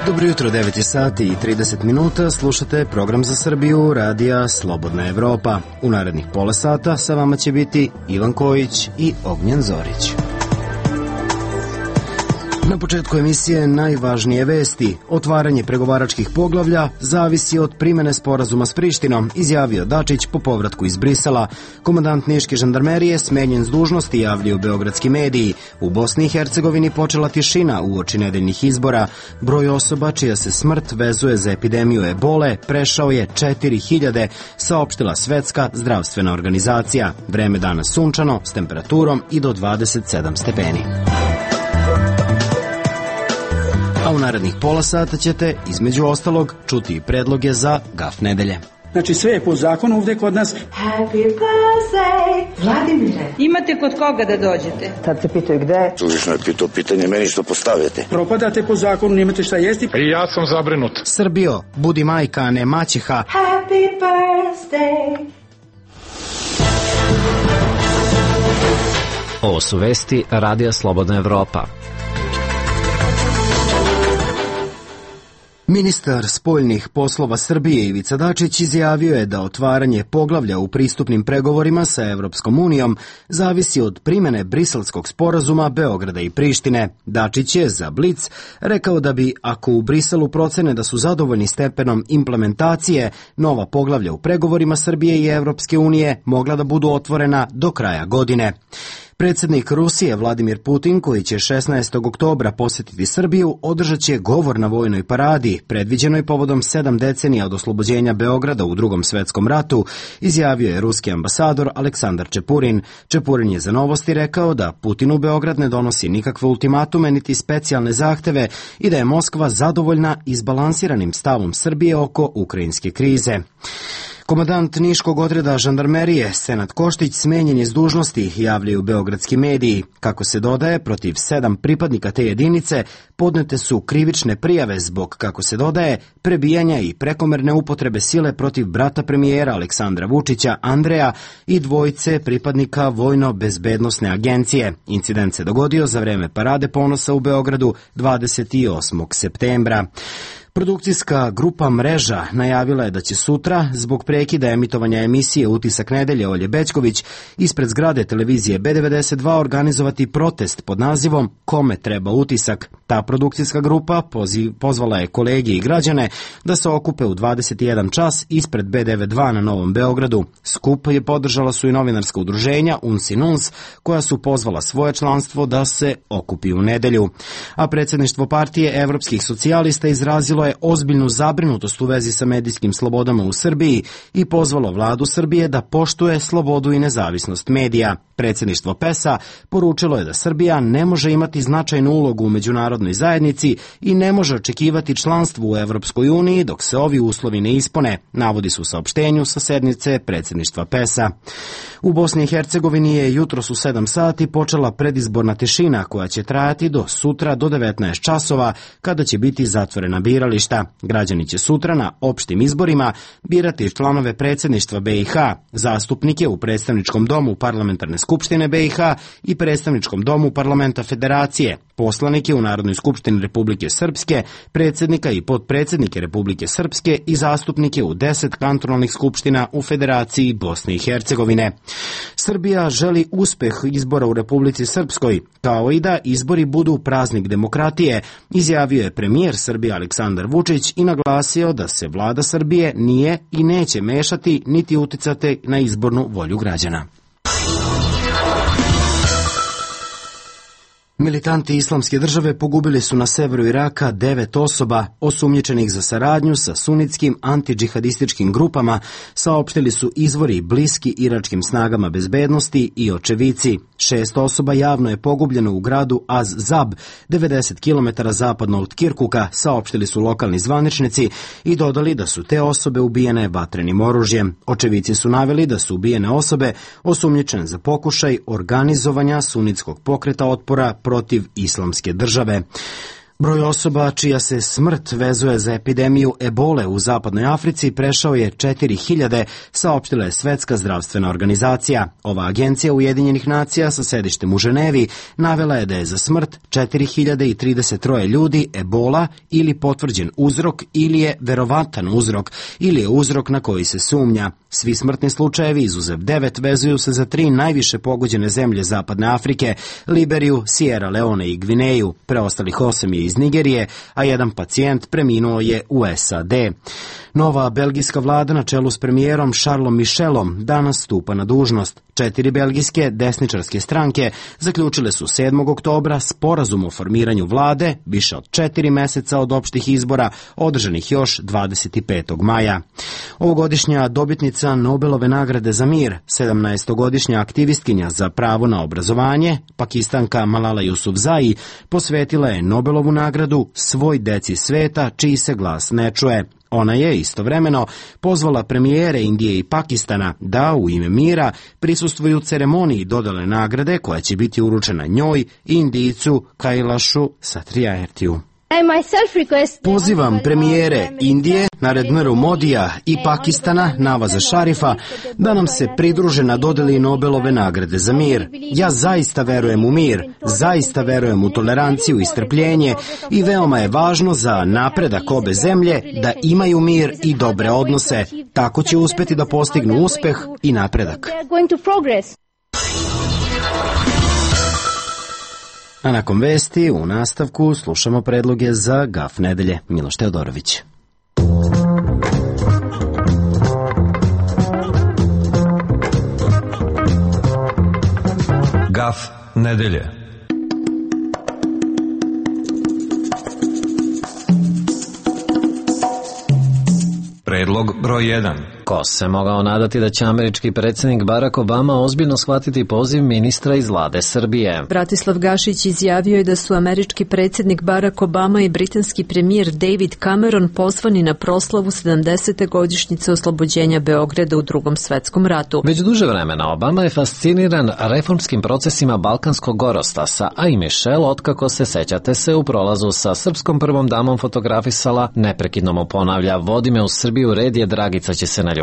Dobro jutro, 9 sati i 30 minuta, slušate program za Srbiju, radija Slobodna Evropa. U narednih pola sata sa vama će biti Ivan Kojić i Ognjen Zorić. Na početku emisije najvažnije vesti. Otvaranje pregovaračkih poglavlja zavisi od primene sporazuma s Prištinom, izjavio Dačić po povratku iz Brisela. Komandant Niške žandarmerije smenjen s dužnosti, javljaju beogradski mediji. U Bosni i Hercegovini počela tišina uoči nedeljnih izbora. Broj osoba čija se smrt vezuje za epidemiju ebole prešao je 4000, saopštila Svetska zdravstvena organizacija. Vreme danas sunčano, s temperaturom i do 27 stepeni. A u narednih pola sata ćete, između ostalog, čuti i predloge za GAF nedelje. Znači sve je po zakonu ovde kod nas. Happy birthday, Vladimire. Imate kod koga da dođete? Tad se pitaju gde. Suvišno je pitao pitanje meni što postavljate. Propadate po zakonu, nemate šta jesti. I ja sam zabrinut. Srbijo, budi majka, a ne maćeha. Happy birthday. Ovo su vesti Radija Slobodna Evropa. Ministar spoljnih poslova Srbije Ivica Dačić izjavio je da otvaranje poglavlja u pristupnim pregovorima sa Evropskom unijom zavisi od primene Briselskog sporazuma Beograda i Prištine. Dačić je za Blic rekao da bi, ako u Briselu procene da su zadovoljni stepenom implementacije, nova poglavlja u pregovorima Srbije i Evropske unije mogla da budu otvorena do kraja godine. Predsjednik Rusije Vladimir Putin, koji će 16. oktobra posjetiti Srbiju, održat će govor na vojnoj paradi, predviđenoj povodom 7 decenija od oslobođenja Beograda u Drugom svetskom ratu, izjavio je ruski ambasador Aleksandar Čepurin. Čepurin je za Novosti rekao da Putin u Beograd ne donosi nikakve ultimatume niti specijalne zahteve i da je Moskva zadovoljna izbalansiranim stavom Srbije oko ukrajinske krize. Komandant Niškog odreda žandarmerije Senad Koštić smenjen je s dužnosti, javljaju beogradski mediji. Kako se dodaje, protiv 7 pripadnika te jedinice podnete su krivične prijave zbog, kako se dodaje, prebijanja i prekomerne upotrebe sile protiv brata premijera Aleksandra Vučića, Andreja, i 2 pripadnika Vojno-bezbednosne agencije. Incident se dogodio za vreme Parade ponosa u Beogradu 28. septembra. Produkcijska grupa Mreža najavila je da će sutra, zbog prekida emitovanja emisije Utisak nedelje Olje Bećković, ispred zgrade televizije B92 organizovati protest pod nazivom Kome treba utisak. Ta produkcijska grupa pozvala je kolege i građane da se okupe u 21 čas ispred B92 na Novom Beogradu. Skup je podržala su i novinarska udruženja UNS i NUNS, koja su pozvala svoje članstvo da se okupi u nedelju. A predsjedništvo partije evropskih socijalista izrazilo je ozbiljnu zabrinutost u vezi sa medijskim slobodama u Srbiji i pozvalo vladu Srbije da poštuje slobodu i nezavisnost medija. Predsjedništvo PES-a poručilo je da Srbija ne može imati značajnu ulogu u međunarodnoj zajednici i ne može očekivati članstvo u Evropskoj uniji dok se ovi uslovi ne ispune, navodi se u saopštenju sa sednice predsjedništva PES-a. U Bosni i Hercegovini je jutros u 7 sati počela predizborna tišina koja će trajati do sutra do 19 časova kada će biti zatvorena birališta. Građani će sutra na opštim izborima birati članove predsjedništva BiH, zastupnike u predstavničkom domu Parlamentarne skupštine BiH i predstavničkom domu Parlamenta Federacije, poslanike u Narodnoj skupštini Republike Srpske, predsjednika i potpredsjednike Republike Srpske i zastupnike u 10 kantonalnih skupština u Federaciji Bosne i Hercegovine. Srbija želi uspeh izbora u Republici Srpskoj, kao i da izbori budu praznik demokratije, izjavio je premijer Srbije Aleksandar Vučić i naglasio da se vlada Srbije nije i neće mešati niti uticati na izbornu volju građana. Militanti Islamske države pogubili su na severu Iraka 9 osoba osumnjičenih za saradnju sa sunitskim antidžihadističkim grupama, saopštili su izvori bliski iračkim snagama bezbednosti i očevici. 6 osoba javno je pogubljeno u gradu Az-Zab, 90 km zapadno od Kirkuka, saopštili su lokalni zvaničnici i dodali da su te osobe ubijene vatrenim oružjem. Očevici su naveli da su ubijene osobe osumnjičene za pokušaj organizovanja sunitskog pokreta otpora protiv Islamske države. Broj osoba čija se smrt vezuje za epidemiju ebole u zapadnoj Africi prešao je 4000, saopštila je Svetska zdravstvena organizacija. Ova agencija Ujedinjenih nacija sa sedištem u Ženevi navela je da je za smrt 4033 ljudi ebola ili potvrđen uzrok ili je verovatan uzrok ili je uzrok na koji se sumnja. Svi smrtni slučajevi, izuzev 9, vezuju se za 3 najviše pogođene zemlje zapadne Afrike, Liberiju, Sierra Leone i Gvineju. Preostalih 8 je iz Nigerije, a jedan pacijent preminuo je u SAD. Nova belgijska vlada na čelu s premijerom Charlesom Michelom danas stupa na dužnost. 4 belgijske desničarske stranke zaključile su 7. oktobra sporazum o formiranju vlade više od 4 meseca od opštih izbora održanih još 25. maja. Ovogodišnja dobitnica Nobelove nagrade za mir, 17-godišnja aktivistkinja za pravo na obrazovanje, Pakistanka Malala Yousafzai, posvetila je Nobelovu nagradu svoj deci sveta čiji se glas ne čuje. Ona je istovremeno pozvala premijere Indije i Pakistana da u ime mira prisustvuju ceremoniji dodale nagrade koja će biti uručena njoj i Indijcu Kailashu Satriartiju. Pozivam premijere Indije, Narendra Modija i Pakistana Navaza Šarifa da nam se pridruže na dodeli Nobelove nagrade za mir. Ja zaista verujem u mir, zaista verujem u toleranciju i strpljenje i veoma je važno za napredak obe zemlje da imaju mir i dobre odnose. Tako će uspeti da postignu uspeh i napredak. A nakon vesti, u nastavku, slušamo predloge za GAF nedelje. Miloš Teodorović. GAF nedelje. Predlog broj 1. Ko se mogao nadati da će američki predsjednik Barack Obama ozbiljno shvatiti poziv ministra iz vlade Srbije? Bratislav Gašić izjavio je da su američki predsjednik Barack Obama i britanski premijer David Cameron pozvani na proslavu 70. godišnjice oslobođenja Beograda u Drugom svetskom ratu. Već duže vremena Obama je fasciniran reformskim procesima Balkanskog gorostasa, a i Michelle, otkako se sećate se u prolazu sa srpskom prvom damom fotografisala, neprekidno mu ponavlja: vodi me u Srbiju, red je, Dragica će se naljutiti.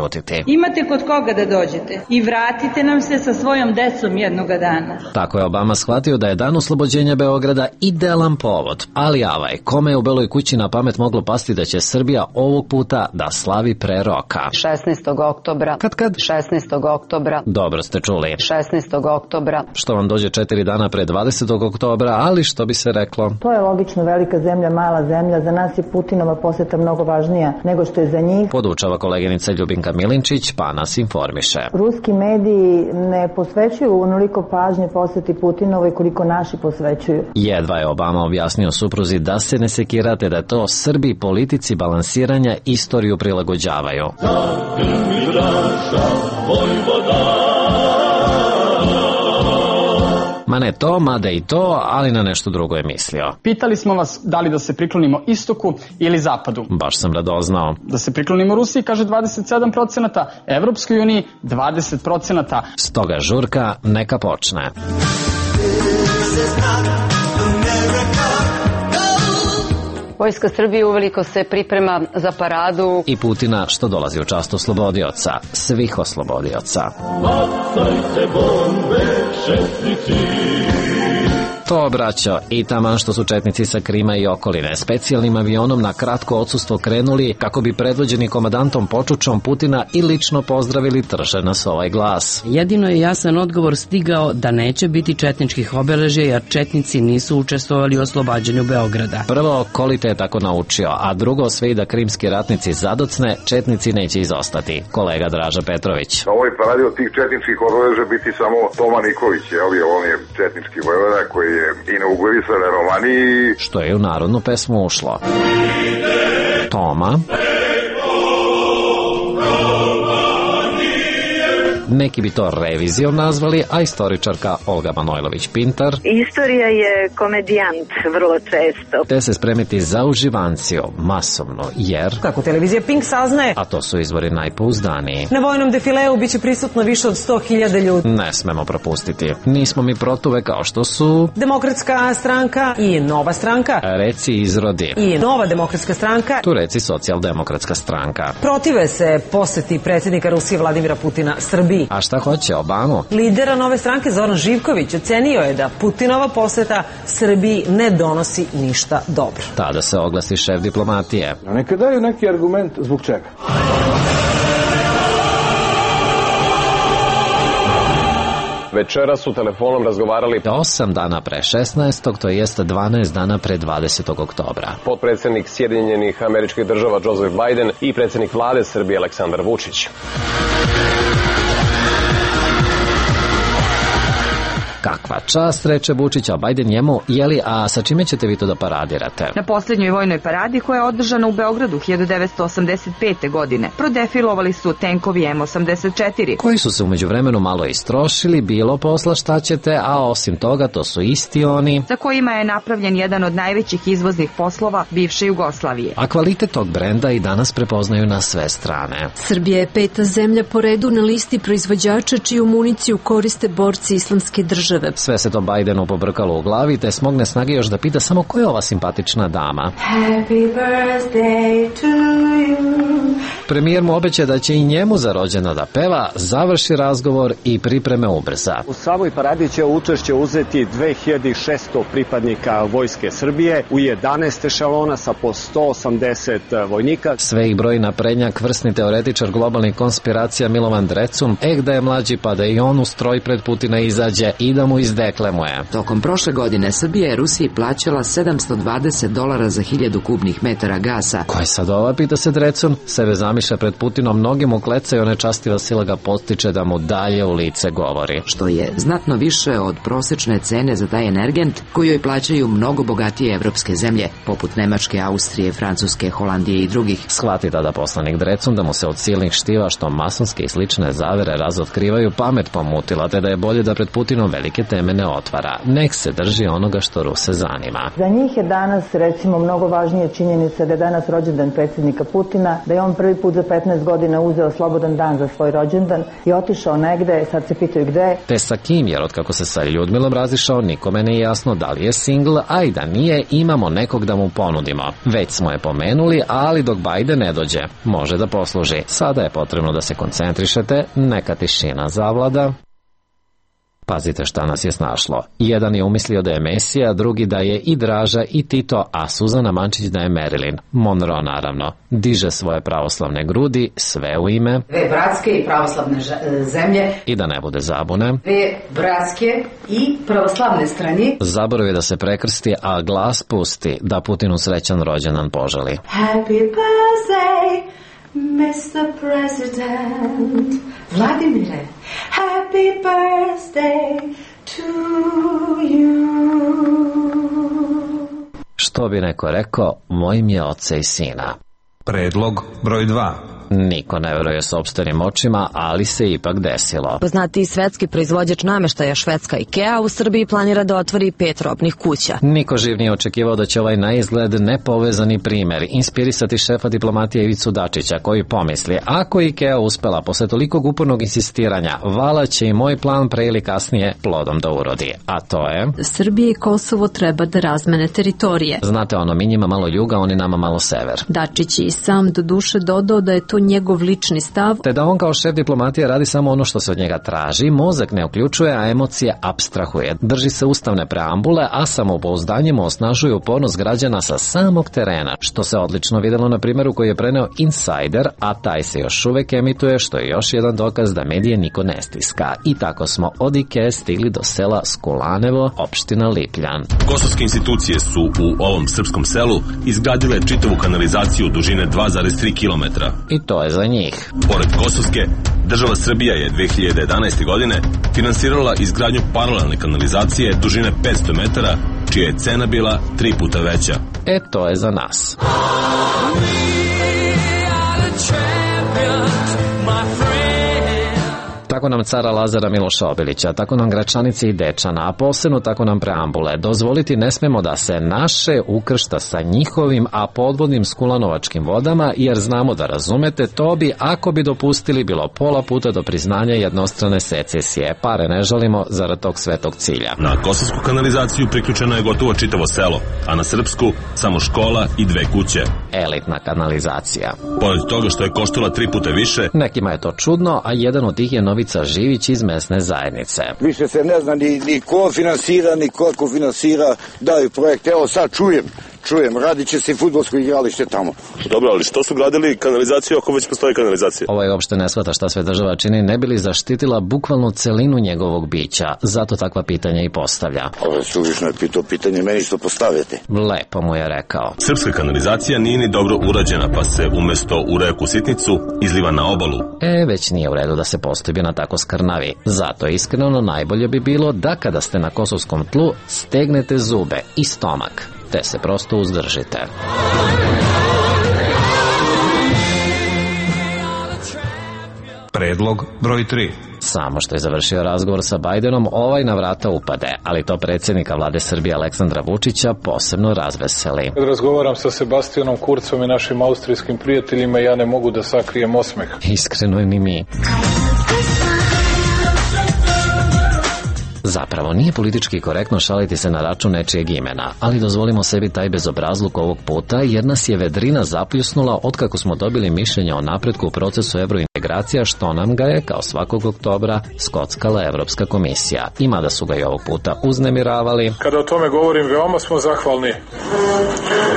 Imate kod koga da dođete i vratite nam se sa svojom decom jednoga dana. Tako je Obama shvatio da je dan oslobođenja Beograda idealan povod, ali avaj, kome je u Beloj kući na pamet moglo pasti da će Srbija ovog puta da slavi pre roka? 16. oktobra. Kad? 16. oktobra. Dobro ste čuli. 16. oktobra. Što vam dođe 4 dana pre 20. oktobra, ali što bi se reklo? To je logično, velika zemlja, mala zemlja, za nas je Putinova poseta mnogo važnija nego što je za njih. Podučava koleginica Ljubinka Milinčić, pa nas informiše. Ruski mediji ne posvećuju onoliko pažnje poseti Putinovoj koliko naši posvećuju. Jedva je Obama objasnio supruzi da se ne sekirate, da to Srbi politici balansiranja istoriju prilagođavaju. Ma ne to, mada i to, ali na nešto drugo je mislio. Pitali smo vas da li da se priklonimo istoku ili zapadu. Baš sam radoznao. Da se priklonimo Rusiji, kaže 27%, Evropskoj uniji 20%. Stoga žurka neka počne. Vojska Srbije uveliko se priprema za paradu. I Putina što dolazi u čast oslobodioca, svih oslobodioca. Bacajte bombe, četnici. To, braćo, i taman što su četnici sa Krima i okoline specijalnim avionom na kratko odsustvo krenuli kako bi predvođeni komandantom Počučom Putina i lično pozdravili, trže nas ovaj glas. Jedino je jasan odgovor stigao da neće biti četničkih obeležja jer četnici nisu učestvovali u oslobađanju Beograda. Prvo, Kolite je tako naučio, a drugo, sve i da krimski ratnici zadocne, četnici neće izostati. Kolega Draža Petrović. Na ovoj paradi od tih četničkih obeležja biti samo Toma Nikolić, on je četnički vojvoda koji je inaugurisao na Romaniji. Što je u narodnu pesmu ušlo. Toma Neki bi to revizijom nazvali, a istoričarka Olga Manojlović-Pintar: Istorija je komedijant vrlo često. Te se spremiti za uživanciju masovno, jer kako televizija Pink saznaje, a to su izvori najpouzdaniji, na vojnom defileu biće prisutno više od 100.000 ljudi. Ne smemo propustiti. Nismo mi protuve kao što su Demokratska stranka i Nova stranka, reci izrodi, i Nova demokratska stranka, tu reci Socijaldemokratska stranka. Protive se poseti predsjednika Rusije Vladimira Putina Srbiji. A šta hoće Obamu? Lidera Nove stranke Zoran Živković ocenio je da Putinova poseta Srbiji ne donosi ništa dobro. Tada se oglasi šef diplomatije. Neka daju neki argument zbog čega. Večera su telefonom razgovarali 8 dana pre 16. to jest 12 dana pre 20. oktobra. Potpredsjednik Sjedinjenih Američkih Država Joseph Biden i predsjednik vlade Srbije Aleksandar Vučić. Kakva čast, reče Vučić, a Biden njemu: jeli, a sa čime ćete vi to da paradirate? Na posljednjoj vojnoj paradi koja je održana u Beogradu 1985. godine prodefilovali su tenkovi M84. Koji su se umeđu vremenu malo istrošili, bilo posla šta ćete, a osim toga to su isti oni za kojima je napravljen jedan od najvećih izvoznih poslova bivše Jugoslavije. A kvalitet tog brenda i danas prepoznaju na sve strane. Srbija je 5. zemlja po redu na listi proizvođača čiju municiju koriste borci Islamske države. Sve se to Bidenu pobrkalo u glavi, te smogne snage još da pita samo ko je ova simpatična dama. Happy birthday to you. Premijer mu obeća da će i njemu za rođendan da peva, završi razgovor i pripreme ubrza. U samoj paradi će učešće uzeti 2600 pripadnika Vojske Srbije u 11 ešalona sa po 180 vojnika. Sve ih broji naprednjak, vrsni teoretičar globalnih konspiracija Milovan Drecun, da je mlađi pa da i on u stroj pred Putina izađe i da mu izdeklemuje. Tokom prošle godine Srbija je Rusiji plaćala $720 za 1000 kubnih metara gasa. Ko je sad ova, pita se Drecun, sebe zamišlja pred Putinom, mnogi mu klecaju, nečastiva sila ga postiče da mu dalje u lice govori. Što je znatno više od prosečne cene za taj energent koju joj plaćaju mnogo bogatije evropske zemlje, poput Nemačke, Austrije, Francuske, Holandije i drugih. Shvati tada poslanik Drecun da mu se od silnih štiva što masonske i slične zavere razotkrivaju pamet pomutila, te da je bolje da pred Putinom velike teme ne otvara. Nek se drži onoga što Ruse zanima. Za njih je danas, recimo, mnogo važnije činjenica da je danas rođendan predsjednika Putina, da je on prvi put za 15 godina uzeo slobodan dan za svoj rođendan i otišao negde, sad se pitaju gde. Te sa kim, jer otkako se sa Ljudmilom razišao, nikome nije jasno da li je singl, a i da nije, imamo nekog da mu ponudimo. Već smo je pomenuli, ali dok Biden ne dođe, može da posluži. Sada je potrebno da se koncentrišete, neka tišina zavlada. Pazite šta nas je snašlo. Jedan je umislio da je Mesija, drugi da je i Draža i Tito, a Suzana Mančić da je Marilyn Monroe, naravno. Diže svoje pravoslavne grudi, sve u ime dve bratske i pravoslavne zemlje. I da ne bude zabune, dve bratske i pravoslavne strane. Zaboravio da se prekrsti, a glas pusti da Putinu srećan rođendan poželi. Happy birthday, Mr. President. Vladimire, happy birthday to you. Što bi neko rekao, mojim je oca i sina. Predlog broj 2. Niko ne veruje sopstvenim očima, ali se ipak desilo. Poznatiji svetski proizvođač nameštaja švedska IKEA u Srbiji planira da otvori 5 robnih kuća. Niko živ nije očekivao da će ovaj na izgled nepovezani primer inspirisati šefa diplomatije Ivicu Dačića, koji pomisli, ako IKEA uspela posle tolikog upornog insistiranja, vala će i moj plan pre ili kasnije plodom da urodi. A to je... Srbije i Kosovo treba da razmene teritorije. Znate ono, mi njima malo juga, oni nama malo sever. Dačić i sam do duše dodao da je to njegov lični stav, te da on kao šef diplomatije radi samo ono što se od njega traži, mozak ne uključuje, a emocije apstrahuje. Drži se ustavne preambule, a samopouzdanje mu osnažuje upornost građana sa samog terena, što se odlično videlo na primjeru koji je preneo Insider, a taj se još uvek emituje, što je još jedan dokaz da medije niko ne stiska. I tako smo od Ikee stigli do sela Skulanevo, opština Lipljan. Kosovske institucije su u ovom srpskom selu izgradile čitavu kanalizaciju dužine 2,3 km. I to je za njih. Pored Kosovske, država Srbija je 2011. godine finansirala izgradnju paralelne kanalizacije dužine 500 metara, čija je cena bila 3 puta veća. To je za nas. tako nam cara Lazara Miloša Obilića, tako nam Gračanice i Dečana, a posebno tako nam preambule. Dozvoliti ne smemo da se naše ukršta sa njihovim, a podvodnim skulanovačkim vodama, jer znamo da razumete, to bi, ako bi dopustili, bilo pola puta do priznanja jednostrane secesije. Pare ne žalimo zarad tog svetog cilja. Na kosovsku kanalizaciju priključeno je gotovo čitavo selo, a na srpsku samo škola i 2 kuće. Elitna kanalizacija. Pored toga što je koštala 3 puta više, nekima je to čudno, a jedan od tih je Novica Živić iz mesne zajednice. Više se ne zna ni ko finansira, ni koliko finansira, daju projekte. Evo sad čujem, radit će se i fudbalsko igralište tamo. Dobro, ali što su gradili kanalizaciju ako već postoji kanalizacija? Ovo je uopšte ne shvata šta sve država čini, ne bi li zaštitila bukvalnu celinu njegovog bića. Zato takva pitanja i postavlja. Ovo je suvišno je pitao pitanje, meni što postavljate. Lepo mu je rekao. Srpska kanalizacija nije ni dobro urađena, pa se umesto u reku Sitnicu izliva na obalu. Već nije u redu da se postoji na tako skrnavi. Zato iskreno najbolje bi bilo da kada ste na kosovskom tlu stegnete zube i stomak, te se prosto uzdržite. Predlog broj 3. Samo što je završio razgovor sa Bajdenom, ovaj na vrata upade, ali to predsjednika vlade Srbije Aleksandra Vučića posebno razveseli. Kad razgovaram sa Sebastianom Kurcom i našim austrijskim prijateljima, ja ne mogu da sakrijem osmeh. Iskreno ni mi. Zapravo, nije politički korektno šaliti se na račun nečijeg imena, ali dozvolimo sebi taj bezobrazluk ovog puta, jer nas je vedrina zapljusnula otkako smo dobili mišljenje o napretku u procesu evrointegracija, što nam ga je, kao svakog oktobra, skockala Evropska komisija. I mada su ga i ovog puta uznemiravali. Kada o tome govorim, veoma smo zahvalni.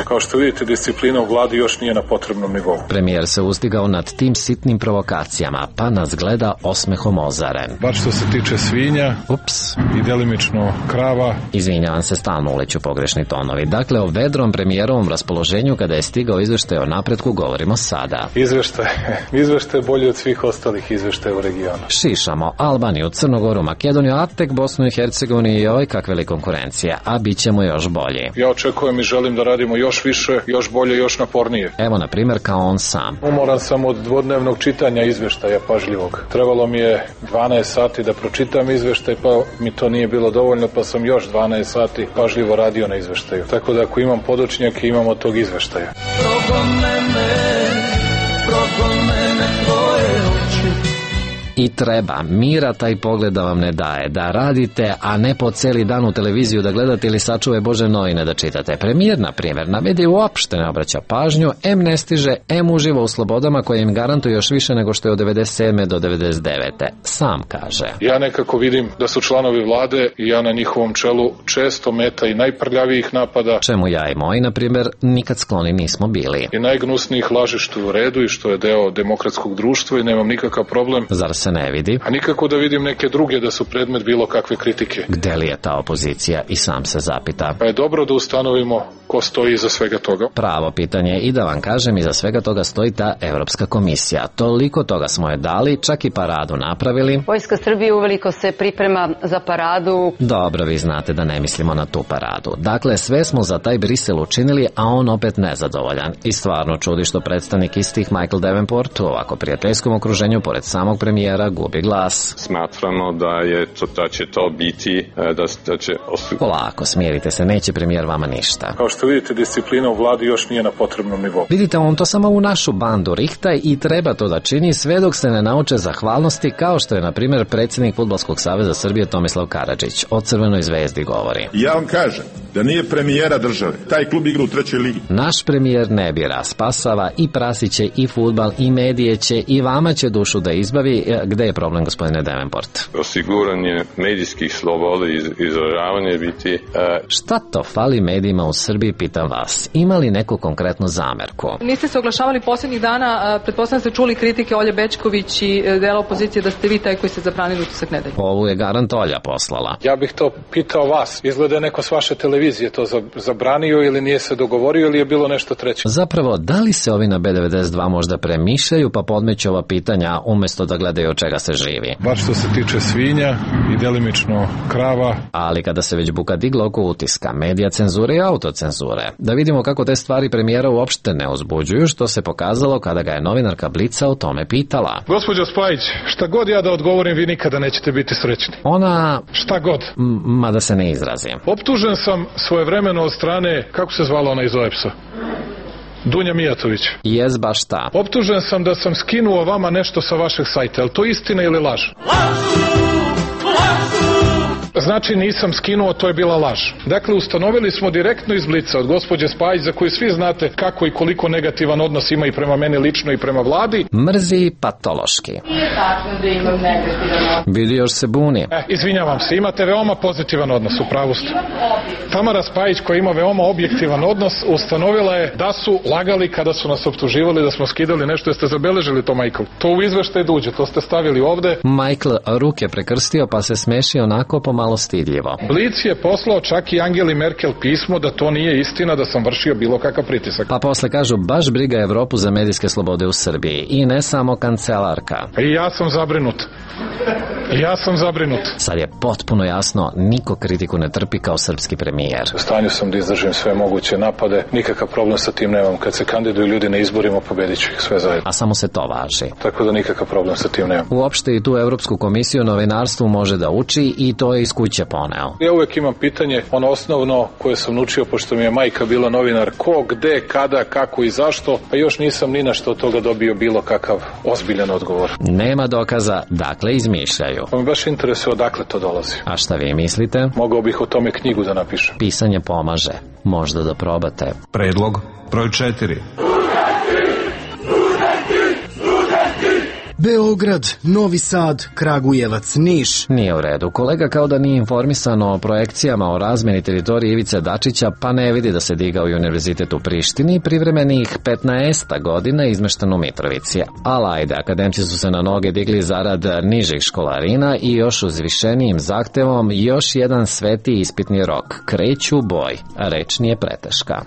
Kao što vidite, disciplina u vladi još nije na potrebnom nivou. Premijer se uzdigao nad tim sitnim provokacijama, pa nas gleda osmehom ozaren. Bar što se tiče svinja, i delimično krava. Izvinjavam se, stalno uleću pogrešni tonovi. Dakle, o vedrom premijerovom raspoloženju kada je stigao izveštaj o napretku govorimo sada. Izveštaj bolji od svih ostalih izveštaja u regionu. Šišamo Albaniju, Crnogoru, Makedoniju, a tek Bosnu i Hercegovini i oj kakve li konkurencije, a bit ćemo još bolji. Ja očekujem i želim da radimo još više, još bolje, još napornije. Evo, na primjer, kao on sam. Umoran sam od dvodnevnog čitanja izveštaja pažljivog. Trebalo mi je 12 sati da pročitam izveštaj, pa mi to nije bilo dovoljno, pa sam još 12 sati pažljivo radio na izveštaju. Tako da ako imam podočnjake, imam od tog izveštaja. I treba, mira taj pogled da vam ne daje, da radite, a ne po celi dan u televiziju da gledate ili sačuve Bože novine da čitate. Premijer, na primjer, na medije uopšte ne obraća pažnju, em ne stiže, em uživa u slobodama koje im garantuju još više nego što je od 97. do 99. Sam kaže. Ja nekako vidim da su članovi vlade i ja na njihovom čelu često meta i najprljavijih napada. Čemu ja i moji, na primjer, nikad skloni nismo bili. I najgnusnijih laži što je u redu i što je deo demokratskog društva i nemam nikakav problem. Zar se ne vidi? A nikako da vidim neke druge da su predmet bilo kakve kritike. Gde li je ta opozicija? I sam se zapita. Pa je dobro da ustanovimo ko stoji iza svega toga. Pravo pitanje, i da vam kažem, iza svega toga stoji ta Evropska komisija. Toliko toga smo je dali, čak i paradu napravili. Vojska Srbije uveliko se priprema za paradu. Dobro, vi znate da ne mislimo na tu paradu. Dakle, sve smo za taj Brisel učinili, a on opet nezadovoljan. I stvarno čudi što predstavnik istih Michael Davenport u ovako prijateljskom okruženju pored samog premijera gubi glas. Smatramo da će to biti, da će... Polako, smirite se, neće premijer vama ništa. Kao što vidite, disciplina u vladi još nije na potrebnom nivou. Vidite, on to samo u našu bandu rihta i treba to da čini sve dok se ne nauče zahvalnosti, kao što je, na primjer, predsjednik Fudbalskog saveza Srbije Tomislav Karadžić o Crvenoj zvezdi govori. Ja vam kažem da nije premijera države. Taj klub igra u 3. ligi. Naš premijer ne bira, spasava i prasiće i fudbal i medije će i vama će dušu da izbavi. Gde je problem, gospodine Davenport? Osiguranje medijskih sloboda i izražavanje biti... Šta to fali medijima u Srbiji, pitam vas. Ima li neku konkretnu zamerku? Niste se oglašavali posljednjih dana, pretpostavljam ste čuli kritike Olje Bećković i dela opozicije da ste vi taj koji ste zabranili utisak nedelje. Ovu je garant Olja poslala. Ja bih to pitao vas. Izgleda je neko s vaše televizije to zabranio ili nije se dogovorio ili je bilo nešto treće? Zapravo, da li se ovi na B92 možda premišljaju pa podmeću ova pitanja umjesto da gledaju od čega se živi. Baš što se tiče svinja i delimično krava. Ali kada se već buka digla oko utiska, medija cenzure i autocenzure, da vidimo kako te stvari premijera uopšte ne uzbuđuju, što se pokazalo kada ga je novinarka Blica o tome pitala. Gospođo Spajić, šta god ja da odgovorim, vi nikada nećete biti srećni. Ona... Šta god. Mada se ne izrazim. Optužen sam svojevremeno od strane, kako se zvala ona iz OEPS-a? Dunja Mijatović. Jes baš ta. Optužen sam da sam skinuo vama nešto sa vašeg sajta. Je li to istina ili laž? Znači nisam skinuo, to je bila laž. Dakle, ustanovili smo direktno iz Blica od gospođe Spajić, za koju svi znate kako i koliko negativan odnos ima i prema meni lično i prema vladi. Mrzi patološki. Nije tačno da imam negativan odnos. Vidi, još se buni. Izvinjavam se, imate veoma pozitivan odnos, u pravu ste. Tamara Spajić, koja ima veoma objektivan odnos, ustanovila je da su lagali kada su nas optuživali da smo skidali nešto. Jeste zabeležili to, Michael? To u izveštaj duđe, to ste stavili ovde. Michael ruke prekrstio pa se smeši onako pomalo stidljivo. Blic je poslao čak i Angeli Merkel pismo da to nije istina, da sam vršio bilo kakav pritisak. Pa posle kažu baš briga Evropu za medijske slobode u Srbiji i ne samo kancelarka. I ja sam zabrinut. Sad je potpuno jasno, niko kritiku ne trpi kao srpski premijer. U stanju sam da izdržim sve moguće napade, nikakav problem sa tim nemam. Kad se kandiduju ljudi na izborima, pobedit ću ih sve zajedno. A samo se to važi. Tako da nikakav problem sa tim nemam. Uopšte i tu Evropsku komisiju novinarstvu može da uči i to je iz kuće poneo. Ja uvek imam pitanje, ono osnovno koje sam naučio, pošto mi je majka bila novinar, ko, gde, kada, kako i zašto, pa još nisam ni na što od toga dobio bilo kakav ozbiljan odgovor. Nema dokaza, dakle izmišljaju. Pa me baš interesuje odakle to dolazi. A šta vi mislite? Mogao bih o tome knjigu da napišem. Pisanje pomaže, možda da probate. Predlog broj 4. Beograd, Novi Sad, Kragujevac, Niš. Nije u redu. Kolega kao da nije informisan o projekcijama o razmeni teritorije Ivice Dačića, pa ne vidi da se digao i univerzitet u Prištini, privremenih 15 godina izmešten u Mitrovici. Ali ajde, akademci su se na noge digli zarad nižih školarina i još uzvišenijim zahtevom još jedan sveti ispitni rok. Kreću u boj, a reč nije preteška.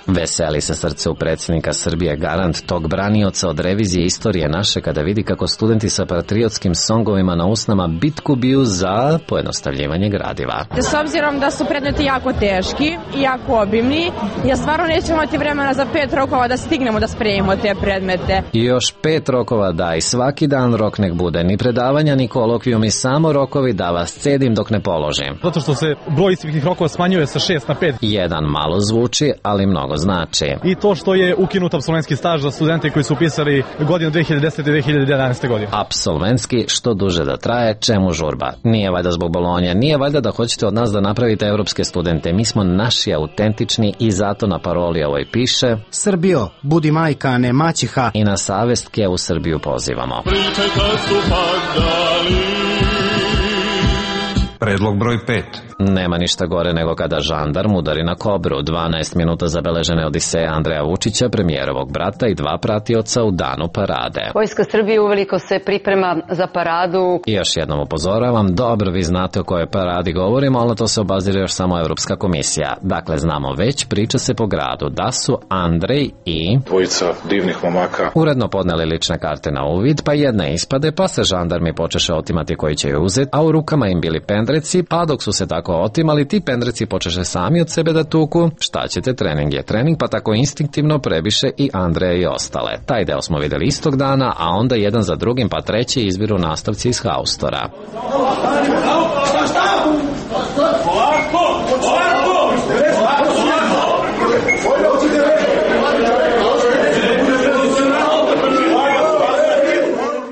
Veseli se srce u predsjednika Srbije, garant tog branioca od revizije istorije naše, kada vidi kako studenti sa patriotskim songovima na usnama bitku biju za pojednostavljivanje gradiva. S obzirom da su predmeti jako teški i jako obimni, ja stvarno nećemo imati vremena za 5 rokova da stignemo da spremimo te predmete. I još 5 rokova daj, svaki dan rok nek bude, ni predavanja, ni kolokvijumi, samo rokovi da vas cedim dok ne položim. Zato što se broj ispitnih rokova smanjuje sa 6 na 5. Jedan malo zvuči, ali mnogo znači. I to što je ukinut apsolventski staž za studente koji su upisali godinu 2010. i 2011. godine. Apsolventski, što duže da traje, čemu žurba? Nije valjda zbog Bolonje, nije valjda da hoćete od nas da napravite evropske studente. Mi smo naši autentični i zato na paroli ovoj piše: Srbijo, budi majka, a ne maćiha. I na savestke u Srbiju pozivamo. Predlog broj 5. Nema ništa gore nego kada žandarm udari na kobru. 12 minuta zabeležene odiseje Andreja Vučića, premijerovog brata i 2 pratioca u danu parade. Vojska Srbije uveliko se priprema za paradu. I još jednom upozoravam, dobro vi znate o kojoj paradi govorimo, ali to se obazira još samo Evropska komisija. Dakle, znamo već, priča se po gradu da su Andrej i dvojica divnih momaka uredno podneli lične karte na uvid, pa jedna ispade, pa se žandarmi počeše otimati koji će ju uzeti, a u rukama im bili pendreci, pa dok su se tako otimali, ti pendreci počeše sami od sebe da tuku. Šta ćete, trening je trening, pa tako instinktivno prebiše i Andreja i ostale. Taj deo smo videli istog dana, a onda jedan za drugim pa treći izbiru nastavci iz haustora.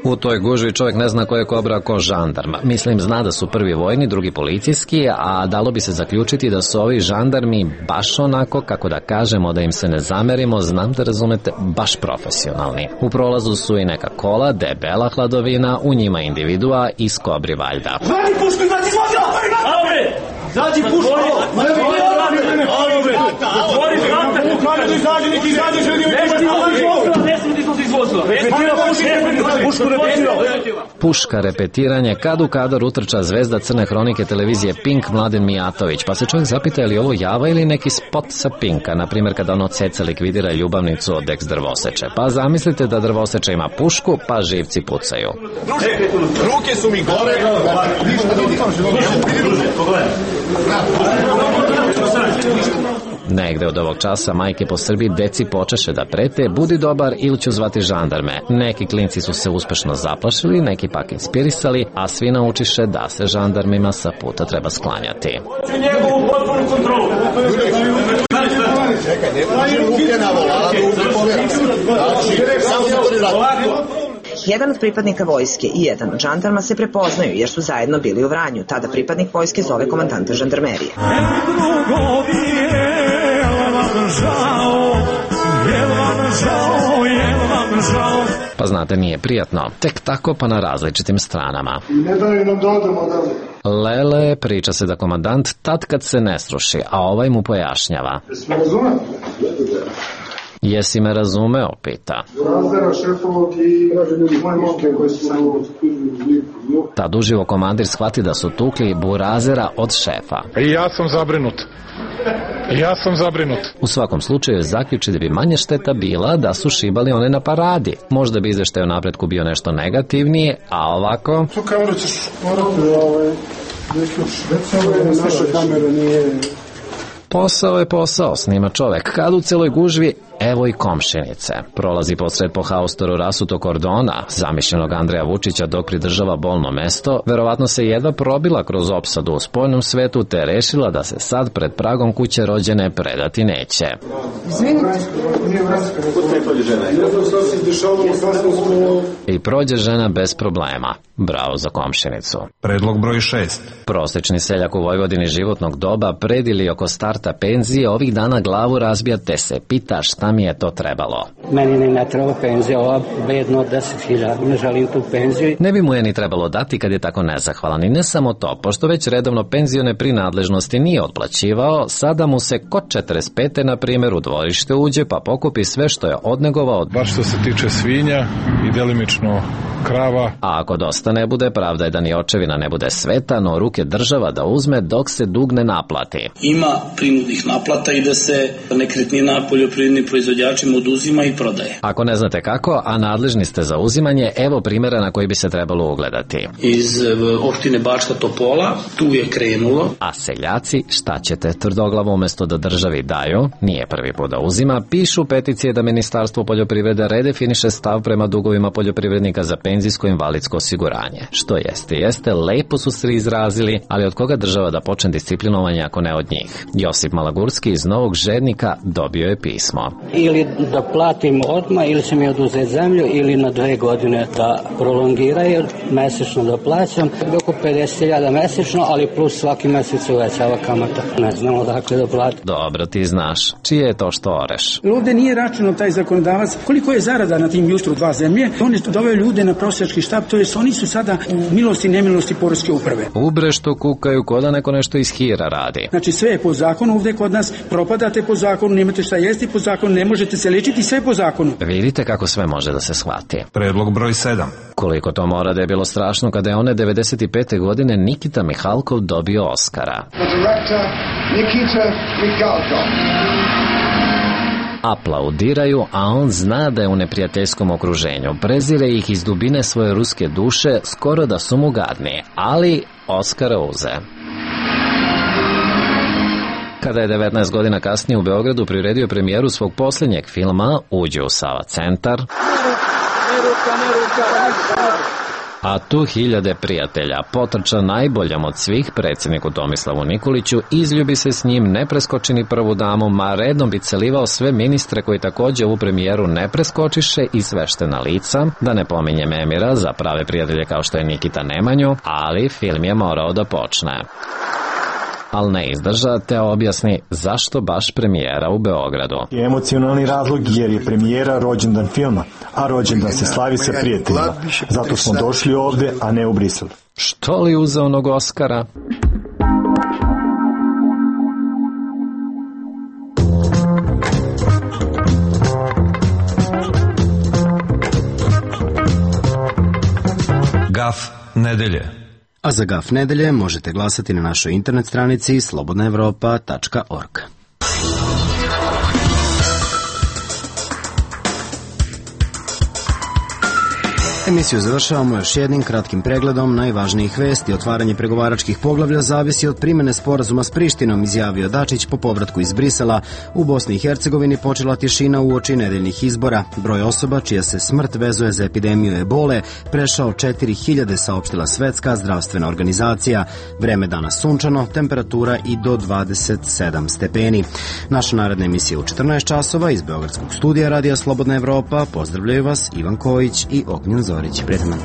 U toj gužvi čovjek ne zna ko je kobra, ko žandarma. Mislim, zna da su prvi vojni, drugi policijski, a dalo bi se zaključiti da su ovi žandarmi baš onako, kako da kažemo, da im se ne zamerimo, znam da razumete, baš profesionalni. U prolazu su i neka kola, debela hladovina, u njima individua iz kobri valjda. Zvani pušku, izađi iz vozila! Alobre! Zađi pušku! Otvori vrata! Izađi, neki izađi, želi... Ne smije ti izvozila! Puška repetiranje, kad u kadar utrča zvezda Crne hronike televizije Pink Mladen Mijatović, pa se čovjek zapita je li ovo java ili neki spot sa Pinka, na primjer kada ono ceca likvidira ljubavnicu od ex drvoseče. Pa zamislite da drvoseče ima pušku, pa živci pucaju. Ruke su mi gore. Negde od ovog časa majke po Srbiji deci počeše da prete, budi dobar ili ću zvati žandarme. Neki klinci su se uspešno zaplašili, neki pak inspirisali, a svi naučiše da se žandarmima sa puta treba sklanjati. Njegovu potpunu kontrolu. Čekaj, ne može ruke na voladu. Samo se to ne radi. Jedan od pripadnika vojske i jedan od žandarma se prepoznaju jer su zajedno bili u Vranju. Tada pripadnik vojske zove komandanta žandarmerije. Pa znate, nije prijatno. Tek tako pa na različitim stranama. Ne daju nam da odemo dalje. Lele, priča se da komandant tad kad se ne sruši, a ovaj mu pojašnjava. Jesmo razumeli? Jesi me razumeo, pita. Razera, šefovog i moje momke koje su samo... Tad uživo komandir shvati da su tukli burazera od šefa. I ja sam zabrinut. U svakom slučaju zaključi da bi manje šteta bila da su šibali one na paradi. Možda bi izveštaj o napretku bio nešto negativnije, a ovako... Tu kameru ćeš morati naša kamera nije... Posao je posao, snima čovek. Kad u celoj gužvi, evo i komšinice. Prolazi posred po haustoru rasuto kordona, zamišljenog Andreja Vučića dok pridržava bolno mesto, verovatno se jedva probila kroz opsadu u spoljnom svetu te rešila da se sad pred pragom kuće rođene predati neće. I prođe žena bez problema. Bravo za komšinicu. Predlog broj 6. Prosečni seljak u Vojvodini životnog doba pred ili oko starta penzije ovih dana glavu razbija te se pita šta mi je to trebalo. Meni ne treba penzija, ova bedno od 10.000, ne želim tu penziju. Ne bi mu je ni trebalo dati kad je tako nezahvalan i ne samo to, pošto već redovno penzione prinadležnosti nije otplaćivao, sada mu se kod 45. na primjer u dvorište uđe pa pokupi sve što je odnegovao. Baš što se tiče svinja i delimično krava. A ako dosta ne bude, pravda je da ni očevina ne bude sveta, no ruke država da uzme dok se dug ne naplati. Ima prinudnih naplata i da se nekretnina poljoprivrednim proizvođačima oduzima i prodaje. Ako ne znate kako, a nadležni ste za uzimanje, evo primjera na koji bi se trebalo ugledati. Iz opštine Bačka Topola, tu je krenulo. A seljaci, šta ćete, tvrdoglavo umesto da državi daju, nije prvi put da uzima, pišu peticije da Ministarstvo poljoprivrede redefiniše stav prema dugovima poljoprivrednika za penzijsko invalidsko osiguranje. Što jeste, lepo su se izrazili, ali od koga država da počne disciplinovanje ako ne od njih? Josip Malagurski iz Novog Žednika dobio je pismo. Ili da platim odmah, ili će mi oduzeti zemlju, ili na 2 godine da prolongiraju, mesečno da plaćam, oko 50.000 mesečno, ali plus svaki mesec uvećava kamata. Ne znam odakle da platim. Dobro, ti znaš. Čije je to što oreš? Ovde nije računao taj zakonodavac koliko je zarada na tim jutru 2 zemlje. On je doveo ljude na prosjački štab, to jest oni su sada u milosti i nemilosti poreske uprave. Ubre što kukaju ko da neko nešto iz hira radi. Znači sve je po zakonu ovde kod nas, propadate po zakonu, nemate šta jesti po zakonu, ne možete se lečiti, sve po zakonu. Vidite kako sve može da se shvati. Predlog broj 7. Koliko to mora da je bilo strašno kada je one 95. godine Nikita Mihalkov dobio Oskara. Aplaudiraju, a on zna da je u neprijateljskom okruženju. Prezire ih iz dubine svoje ruske duše, skoro da su mu gadni, ali Oskara uze. Kada je 19 godina kasnije u Beogradu priredio premijeru svog posljednjeg filma, uđe u Sava centar, a tu hiljade prijatelja potrča najboljom od svih predsjedniku Tomislavu Nikoliću, izljubi se s njim, ne preskoči ni prvu damu, ma redom bi celivao sve ministre koji takođe ovu premijeru ne preskočiše i sveštena lica, da ne pominjem Emira za prave prijatelje kao što je Nikita Nemanju, ali film je morao da počne. Ali ne izdrža te objasni zašto baš premijera u Beogradu. Emocionalni razlog jer je premijera rođendan filma, a rođendan se slavi sa prijateljima. Zato smo došli ovde, a ne u Brisel. Što li uzeo onog Oskara? Gaf nedelje. A za Gaf nedelje možete glasati na našoj internet stranici slobodnaevropa.org. Emisiju završavamo još jednim kratkim pregledom najvažnijih vesti. Otvaranje pregovaračkih poglavlja zavisi od primene sporazuma s Prištinom, izjavio Dačić po povratku iz Brisela. U Bosni i Hercegovini počela tišina uoči nedeljnih izbora. Broj osoba čija se smrt vezuje za epidemiju ebole prešao 4000, saopštila Svetska zdravstvena organizacija. Vreme danas sunčano, temperatura i do 27 stepeni. Naša naredna emisija u 14 časova iz Beogradskog studija Radija Slobodna Evropa. Pozdravljaju vas Ivan Kojić i Ognjen Zorić. Prijatno.